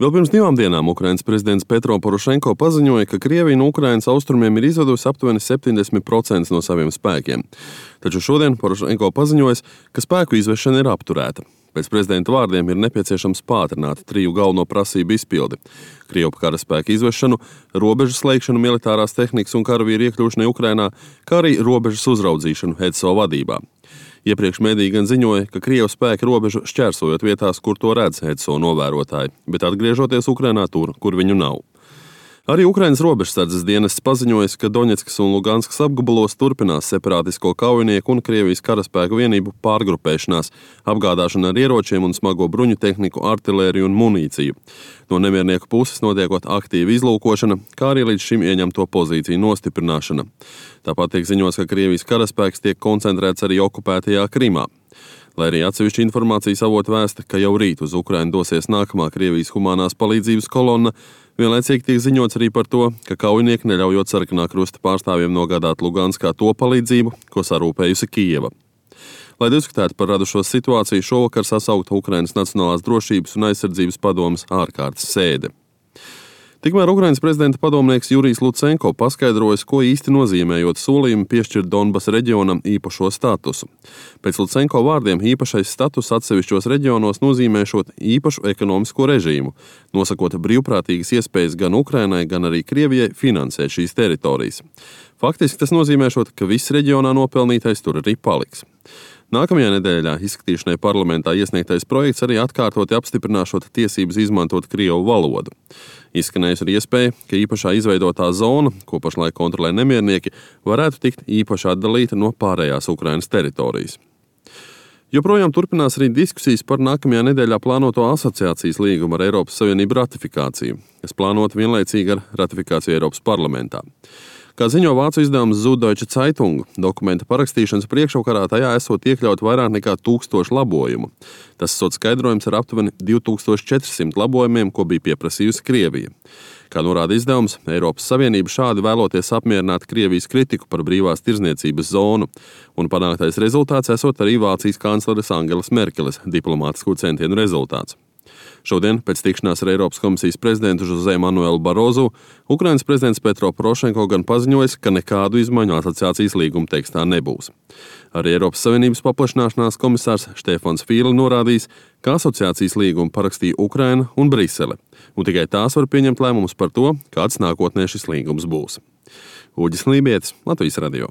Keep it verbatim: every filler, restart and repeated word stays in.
Vēl pirms divām dienām Ukrainas prezidents Petro Porošenko paziņoja, ka Krievija no Ukrainas austrumiem ir izvedusi aptuveni septiņdesmit procentus no saviem spēkiem. Taču šodien Porošenko paziņoja, ka spēku izvešana ir apturēta. Pēc prezidenta vārdiem ir nepieciešams pātrināt triju galveno prasību izpildi – Krievu karaspēka izvešanu, robežu slēgšanu militārās tehnikas un karavīru iekļūšanai Ukrainā, kā arī robežas uzraudzīšanu E D S O vadībā. Iepriekš mediji gan ziņoja, ka Krievu spēki robežu šķērsojot vietās, kur to redz E D S O novērotāji, bet atgriežoties Ukrainā tur, kur viņu nav. Arī Ukrainas robežsardzes dienests paziņoja, ka Doņetskas un Luganskas apgabalos turpinās separātisko kaujinieku un Krievijas karaspēku vienību pārgrupēšanās, apgādāšana ar ieročiem un smago bruņu tehniku, artilēriju un munīciju. No nemiernieku puses notiekot aktīva izlūkošana, kā arī līdz šim ieņemto pozīciju nostiprināšana. Tāpat tiek ziņots, ka Krievijas karaspēks tiek koncentrēts arī okupētajā Krimā. Lai arī atsevišķi informācijas avoti vēsta, ka jau rīt uz Ukrainu dosies nākamā Krievijas humanās palīdzības kolonna, vienlaicīgi tiek ziņots arī par to, ka kaujinieki neļaujot Sarkanā krusta pārstāvjiem nogādāt Luganskā to palīdzību, ko sarūpējusi Kijeva. Lai diskutētu par radušo situāciju, šovakar sasaukta Ukrainas Nacionālās drošības un aizsardzības padomes ārkārtas sēde. Tikmēr Ukrainas prezidenta padomnieks Jurijs Lucenko paskaidrojas, ko īsti nozīmējot solījumu piešķirt Donbasa reģionam īpašo statusu. Pēc Lucenko vārdiem īpašais status atsevišķos reģionos nozīmēšot īpašu ekonomisko režīmu, nosakot brīvprātīgas iespējas gan Ukrainai, gan arī Krievijai finansēt šīs teritorijas. Faktiski tas nozīmēšot, ka viss reģionā nopelnītais tur arī paliks. Nākamajā nedēļā izskatīšanai parlamentā iesniegtais projekts arī atkārtoti apstiprināšot tiesības izmantot Krievu valodu. Izskanējusi arī iespēja, ka īpašā izveidotā zona, ko pašlaik kontrolē nemiernieki, varētu tikt īpaši atdalīta no pārējās Ukrainas teritorijas. Joprojām turpinās arī diskusijas par nākamajā nedēļā plānoto asociācijas līgumu ar Eiropas Savienību ratifikāciju, kas plānota vienlaicīgi ar ratifikāciju Eiropas parlamentā. Kā ziņo vācu izdevums Süddeutsche Zeitung, dokumenta parakstīšanas priekšvakarā tajā esot iekļaut vairāk nekā tūkstošu labojumu. Tas esot skaidrojums ar aptuveni divi tūkstoši četri simti labojumiem, ko bija pieprasījusi Krievija. Kā norāda izdevums, Eiropas Savienība šādi vēloties apmierināt Krievijas kritiku par brīvās tirdzniecības zonu, un panāktais rezultāts esot arī Vācijas kancleres Angelas Merkeles diplomātisku centienu rezultāts. Šodien, pēc tikšanās ar Eiropas komisijas prezidentu Jose Manuelu Barozu, Ukrainas prezidents Petro Porošenko gan paziņojis, ka nekādu izmaiņu asociācijas līguma tekstā nebūs. Arī Eiropas Savienības paplašināšanās komisārs Štefans Fīle norādījis, ka asociācijas līgumu parakstīja Ukraina un Brisele, un tikai tās var pieņemt lēmumus par to, kāds nākotnē šis līgums būs. Uģis Lībietis, Latvijas radio.